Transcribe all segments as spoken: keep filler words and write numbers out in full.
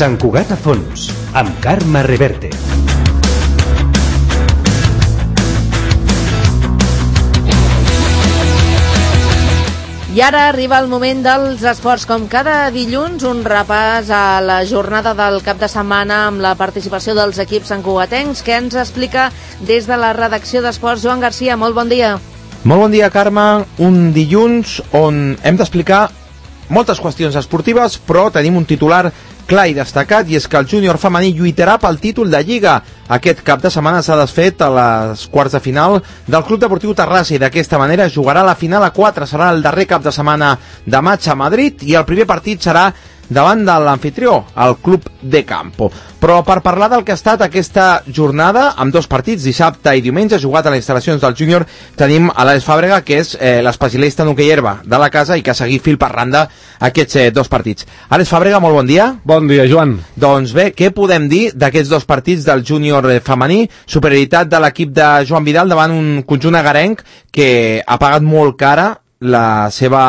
Sant Cugat a fons, amb Carme Reverte. I ara arriba el moment dels esports. Com cada dilluns, un repàs a la jornada del cap de setmana amb la participació dels equips santcugatencs, que ens explica des de la redacció d'Esports Joan Garcia. Molt bon dia. Molt bon dia, Carme. Un dilluns on hem d'explicar moltes qüestions esportives, però tenim un titular clar i destacat, i és que el júnior femení lluitarà pel títol de Lliga. Aquest cap de setmana s'ha desfet a les quarts de final del Club Deportiu Terrassa i d'aquesta manera jugarà la final a quatre. Serà el darrer cap de setmana de maig a Madrid i el primer partit serà davant de l'anfitrió, el Club de Campo. Però per parlar del que ha estat aquesta jornada, amb dos partits, dissabte i diumenge, jugat a les instal·lacions del júnior, tenim a l'Àlex Fàbrega, que és eh, l'especialista en hoquei herba de la casa i que ha seguit fil per randa aquests eh, dos partits. Àlex Fàbrega, molt bon dia. Bon dia, Joan. Doncs bé, què podem dir d'aquests dos partits del júnior femení? Superioritat de l'equip de Joan Vidal davant un conjunt agarenc que ha pagat molt cara la seva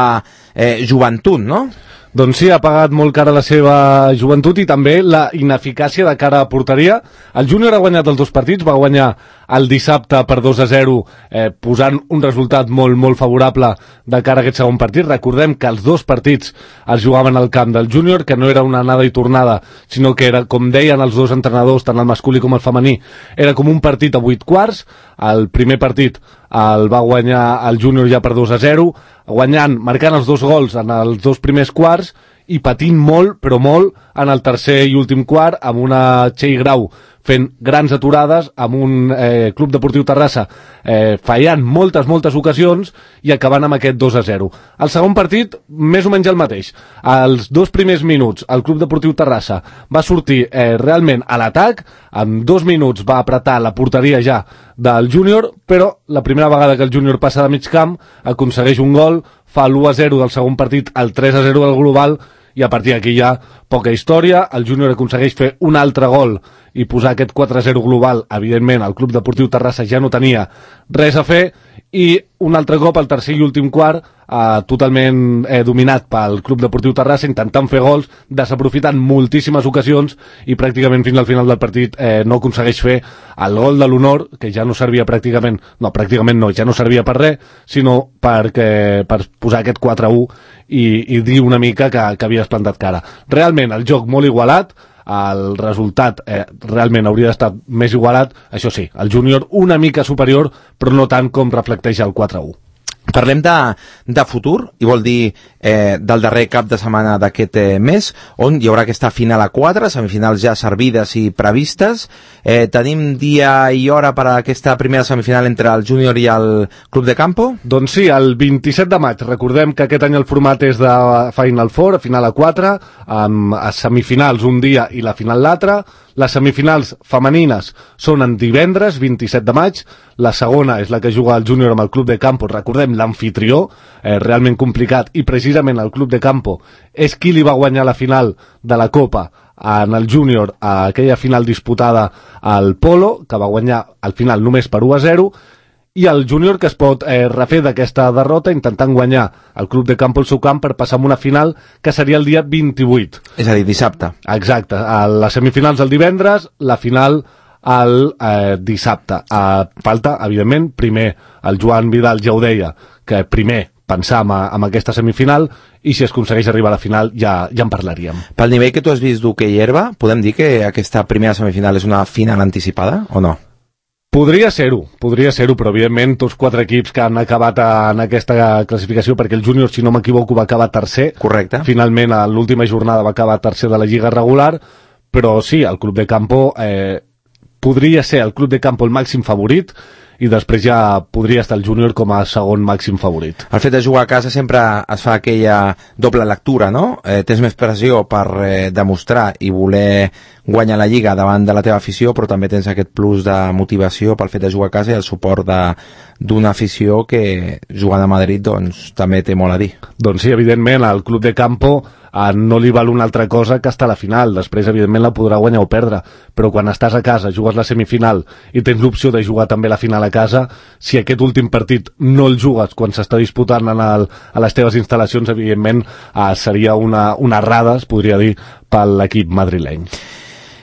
eh, joventut, no? Doncs sí, ha pagat molt cara la seva joventut i també la ineficàcia de cara a porteria. El júnior ha guanyat els dos partits, va guanyar el dissabte per dos a zero, eh, posant un resultat molt, molt favorable de cara a aquest segon partit. Recordem que els dos partits es jugaven al camp del júnior, que no era una anada i tornada, sinó que era, com deien els dos entrenadors, tant el masculí com el femení, era com un partit a vuit quarts. El primer partit el va guanyar el júnior ja per dos a zero, guanyant, marcant els dos gols en els dos primers quarts i patint molt, però molt, en el tercer i últim quart, amb una Txell Grau fent grans aturades, amb un eh, Club Deportiu Terrassa eh, fallant moltes, moltes ocasions i acabant amb aquest dos a zero. El segon partit, més o menys el mateix. Els dos primers minuts, el Club Deportiu Terrassa va sortir eh, realment a l'atac, en dos minuts va apretar la porteria ja del júnior, però la primera vegada que el júnior passa de mig camp aconsegueix un gol, fa l'u a zero del segon partit, el tres a zero del global, i a partir d'aquí hi ha poca història. El júnior aconsegueix fer un altre gol i posar aquest quatre a zero global. Evidentment el Club Deportiu Terrassa ja no tenia res a fer, i un altre cop el tercer i últim quart eh, totalment eh, dominat pel Club Deportiu Terrassa, intentant fer gols, desaprofitant moltíssimes ocasions, i pràcticament fins al final del partit eh, no aconsegueix fer el gol de l'honor, que ja no servia pràcticament, no, pràcticament no, ja no servia per res, sinó perquè, per posar aquest quatre a u i, i dir una mica que, que havies plantat cara. Realment el joc molt igualat, el resultat eh, realment hauria d'estar més igualat. Això sí, el júnior una mica superior, però no tant com reflecteix el quatre a u. Parlem de, de futur, i vol dir eh, del darrer cap de setmana d'aquest eh, mes, on hi haurà aquesta final a quatre, semifinals ja servides i previstes. Eh, tenim dia i hora per a aquesta primera semifinal entre el júnior i el Club de Campo? Doncs sí, el vint-i-set de maig. Recordem que aquest any el format és de Final Four, final a quatre, amb semifinals un dia i la final l'altre. Les semifinals femenines són en divendres, vint-i-set de maig. La segona és la que juga el júnior amb el Club de Campo, recordem, l'anfitrió, eh, realment complicat, i precisament el Club de Campo és qui li va guanyar la final de la Copa en el júnior, a aquella final disputada al Polo, que va guanyar al final només per u a zero, i el júnior que es pot eh, refer d'aquesta derrota intentant guanyar el Club de Campo al seu camp per passar a una final que seria el dia vint-i-vuit. És a dir, dissabte. Exacte, a les semifinals el divendres, la final el eh, dissabte. A falta, evidentment, primer el Joan Vidal ja ho deia, que primer pensar en, en aquesta semifinal, i si es aconsegueix arribar a la final ja, ja en parlaríem. Pel nivell que tu has vist d'hoquei herba, podem dir que aquesta primera semifinal és una final anticipada o no? Podria ser-ho, podria ser-ho, però evidentment tots quatre equips que han acabat en aquesta classificació, perquè el júnior, si no m'equivoco, va acabar tercer. Correcte. Finalment, a l'última jornada va acabar tercer de la Lliga regular, però sí, el Club de Campo eh, podria ser el Club de Campo el màxim favorit, i després ja podria estar el júnior com a segon màxim favorit. El fet de jugar a casa sempre es fa aquella doble lectura, no? Eh, tens més pressió per eh, demostrar i voler guanyar la Lliga davant de la teva afició, però també tens aquest plus de motivació pel fet de jugar a casa i el suport de, d'una afició que jugant a Madrid doncs també té molt a dir. Doncs sí, evidentment, al Club de Campo eh, no li val una altra cosa que estar a la final. Després, evidentment, la podrà guanyar o perdre, però quan estàs a casa, jugues la semifinal i tens l'opció de jugar també la final a casa, si aquest últim partit no el jugues quan s'està disputant en el, a les teves instal·lacions, evidentment eh, seria una, una errada, es podria dir, per l'equip madrileny.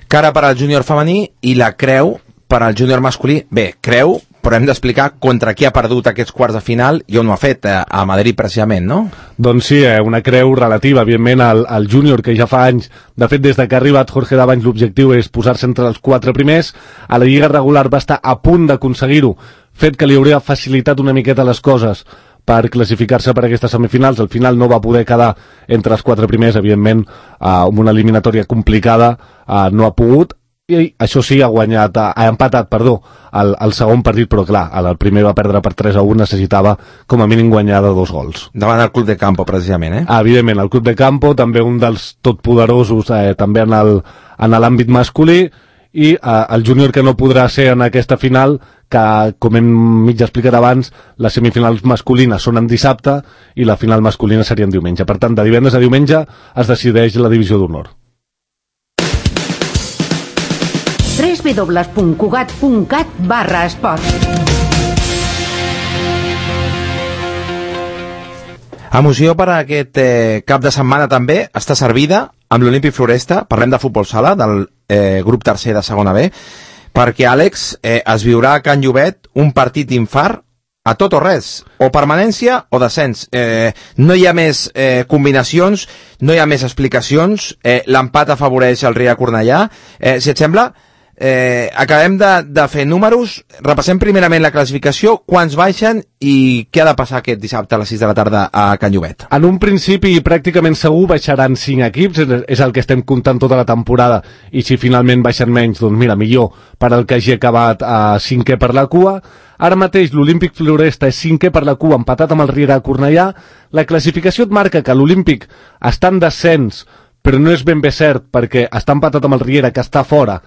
Cara per al júnior femení i la creu per al júnior masculí. Bé, creu, però hem d'explicar contra qui ha perdut aquests quarts de final i on ho ha fet, a Madrid precisament, no? Doncs sí, eh, una creu relativa, evidentment, al, al júnior, que ja fa anys, de fet, des de que ha arribat Jorge Davanys, l'objectiu és posar-se entre els quatre primers. A la lliga regular va estar a punt d'aconseguir-ho, fet que li hauria facilitat una miqueta les coses per classificar-se per aquestes semifinals. Al final no va poder quedar entre els quatre primers, evidentment, eh, amb una eliminatòria complicada, eh, no ha pogut, i això sí, ha guanyat, ha empatat, perdó, el, el segon partit, però clar, el primer va perdre per tres a un, necessitava com a mínim guanyar de dos gols. Davant el Club de Campo, precisament, eh? Ah, evidentment, el Club de Campo, també un dels totpoderosos, eh, també en el, en l'àmbit masculí, i eh, el júnior que no podrà ser en aquesta final, que, com hem mig explicat abans, les semifinals masculines són en dissabte i la final masculina seria en diumenge. Per tant, de divendres a diumenge es decideix la divisió d'honor. w w w punt cugat punt cat barra esport. Emoció per a aquest eh, cap de setmana també està servida amb l'Olímpic Floresta. Parlem de futbol sala, del eh, grup tercer de segona B, perquè, Àlex, eh, es viurà a Can Llobet un partit d'infart a tot o res, o permanència o descens. Eh, no hi ha més eh, combinacions, no hi ha més explicacions, eh, l'empat afavoreix el Riera Cornellà. Eh, si et sembla, eh, acabem de, de fer números, repassem primerament la classificació, quants baixen i què ha de passar aquest dissabte a les sis de la tarda a Can Llobet. En un principi pràcticament segur baixaran cinc equips, és el que estem comptant tota la temporada, i si finalment baixen menys, doncs mira, millor per al que hagi acabat a cinquè per la cua. Ara mateix l'Olímpic Floresta és cinquè per la cua, empatat amb el Riera Cornellà. La classificació et marca que l'Olímpic està en descens, però no és ben bé cert, perquè està empatat amb el Riera, que està fora,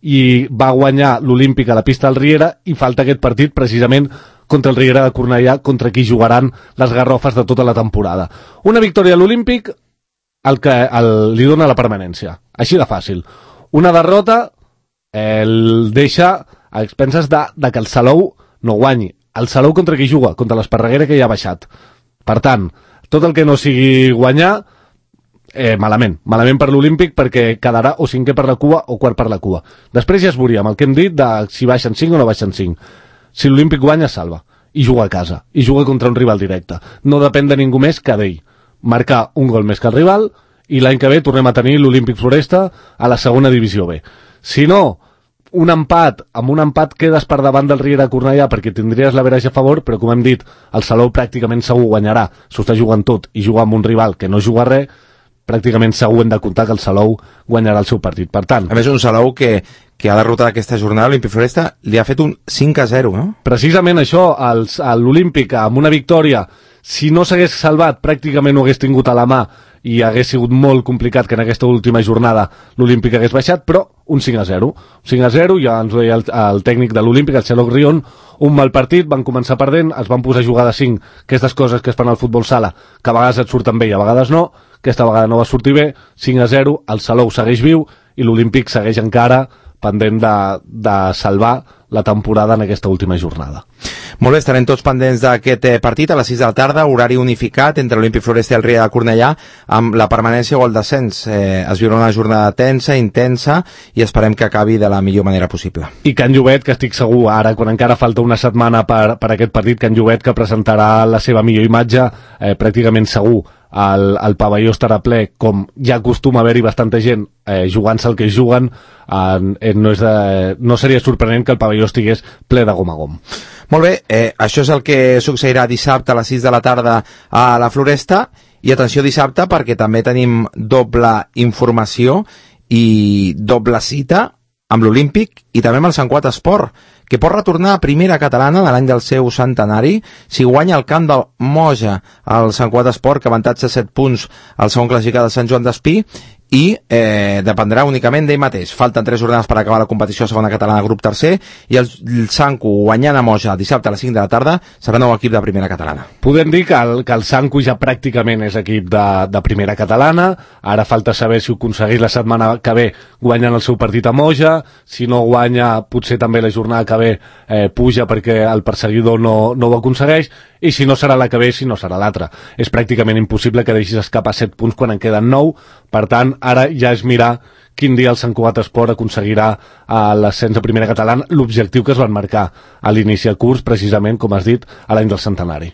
i va guanyar l'Olímpic a la pista del Riera, i falta aquest partit precisament contra el Riera de Cornellà, contra qui jugaran les garrofes de tota la temporada. Una victòria a l'Olímpic el que el, li dona la permanència, així de fàcil. Una derrota eh, el deixa a expenses de, de que el Salou no guanyi. El Salou contra qui juga? Contra l'Esparreguera, que ja ha baixat. Per tant, tot el que no sigui guanyar, Eh, malament, malament per l'Olímpic, perquè quedarà o cinquè per la cua o quart per la cua. Després ja es veuria amb el que hem dit de si baixen cinc o no baixen cinc. Si l'Olímpic guanya, salva, i juga a casa, i juga contra un rival directe. No depèn de ningú més que d'ell. Marcar un gol més que el rival, i l'any que ve tornem a tenir l'Olímpic Floresta a la segona divisió B. Si no, un empat, amb un empat quedes per davant del Riera Cornellà perquè tindries l'average a favor, però com hem dit, el Salou pràcticament segur guanyarà. S'ho està jugant tot i juga amb un rival que no juga res, pràcticament segur hem de comptar que el Salou guanyarà el seu partit. Per tant, a més, un Salou que, que ha derrotat aquesta jornada, l'Olímpic Floresta li ha fet un cinc a zero, no? Precisament això, l'Olímpic amb una victòria, si no s'hagués salvat, pràcticament ho hagués tingut a la mà i hagués sigut molt complicat que en aquesta última jornada l'Olímpic hagués baixat, però un cinc a zero. cinc a zero, ja ens ho deia el, el tècnic de l'Olímpic, el Xaloc Rion, un mal partit, van començar perdent, es van posar a jugar de cinc, aquestes coses que es fan al futbol sala, que a vegades et surten bé i a vegades no. Aquesta vegada no va sortir bé, cinc a zero, el Salou segueix viu i l'Olímpic segueix encara pendent de, de salvar la temporada en aquesta última jornada. Molt bé, estarem tots pendents d'aquest eh, partit a les sis de la tarda, horari unificat entre l'Olímpic Floresta i el Riera de Cornellà, amb la permanència o el descens. Eh, es viurà una jornada tensa, intensa, i esperem que acabi de la millor manera possible. I Can Llobet, que estic segur, ara, quan encara falta una setmana per, per aquest partit, Can Llobet, que presentarà la seva millor imatge, eh, pràcticament segur. El, el pavelló estarà ple, com ja acostuma a haver-hi bastanta gent eh, jugant-se el que juguen, eh, no, és de, no seria sorprenent que el pavelló estigués ple de gom a gom. Molt bé, eh, això és el que succeirà dissabte a les sis de la tarda a la Floresta, i atenció dissabte perquè també tenim doble informació i doble cita amb l'Olímpic i també amb el Sant Cugat Esport, que pot retornar a primera catalana de l'any del seu centenari si guanya el camp del Moja, el Sant Cugat Esport, que avantatge set punts al segon classificat de Sant Joan d'Espí, i eh, dependrà únicament d'ell mateix. Falten tres jornades per acabar la competició a segona catalana grup tercer i el, el Sanku guanyant a Moja dissabte a les cinc de la tarda serà nou equip de primera catalana. Podem dir que el, que el Sanku ja pràcticament és equip de, de primera catalana, ara falta saber si ho aconsegueix la setmana que ve guanyant el seu partit a Moja, si no guanya potser també la jornada que ve eh, puja perquè el perseguidor no, no ho aconsegueix, i si no serà la que ve, si no serà l'altra. És pràcticament impossible que deixis escapar set punts quan en queden nou, per tant, ara ja és mirar quin dia el Sant Cugat Esport aconseguirà a l'ascens a primera catalana, l'objectiu que es van marcar a l'inici del curs, precisament, com has dit, a l'any del centenari.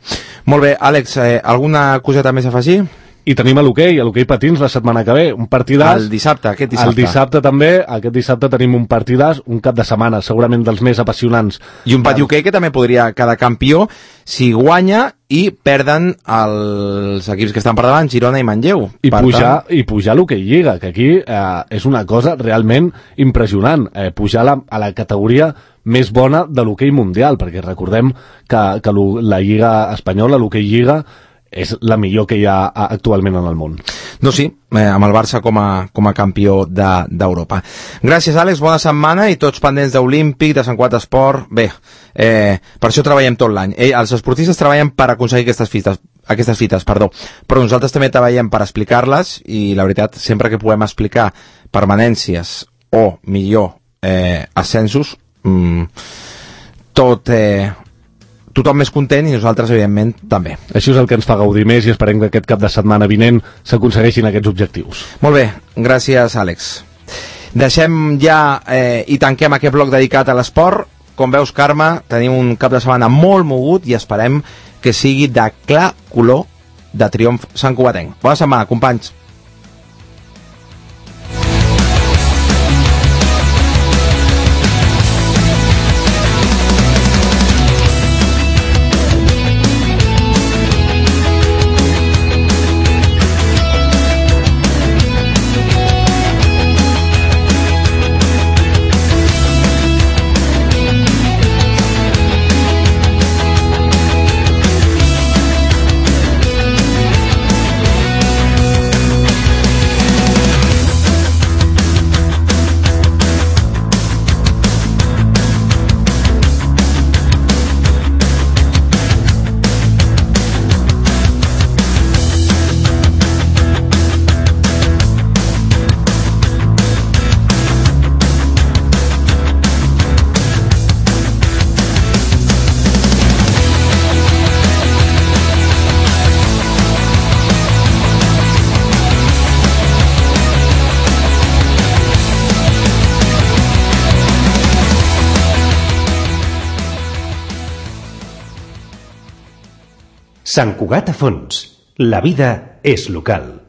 Molt bé, Àlex, eh, alguna coseta més a afegir? I tenim a l'hoquei, a l'hoquei patins la setmana que ve, un partidàs. El dissabte, aquest dissabte. El dissabte també, aquest dissabte tenim un partidàs, un cap de setmana, segurament dels més apassionants. I un pati hoquei que també podria quedar campió si guanya i perden els equips que estan per davant, Girona i Manlleu. I per pujar, tant... i pujar a l'hoquei Lliga, que aquí eh, és una cosa realment impressionant, eh, pujar a la, a la categoria més bona de l'hoquei mundial, perquè recordem que, que la Lliga espanyola, l'hoquei Lliga, és la millor que hi ha actualment en el món. No, sí, eh, amb el Barça com a, com a campió d'Europa. De, Gràcies, Àlex, bona setmana i tots pendents d'Olímpic, de Sant Cugat Esport. Bé, eh, per això treballem tot l'any. Eh, els esportistes treballen per aconseguir aquestes fites, aquestes fites, perdó, però nosaltres també treballem per explicar-les i la veritat, sempre que puguem explicar permanències o, millor, eh, ascensos, mmm, tot... Eh, tothom més content i nosaltres, evidentment, també. Això és el que ens fa gaudir més i esperem que aquest cap de setmana vinent s'aconsegueixin aquests objectius. Molt bé, gràcies, Àlex. Deixem ja eh, i tanquem aquest bloc dedicat a l'esport. Com veus, Carme, tenim un cap de setmana molt mogut i esperem que sigui de clar color de triomf santcugatenc. Bona setmana, companys. Sant Cugat a fons. La vida és local.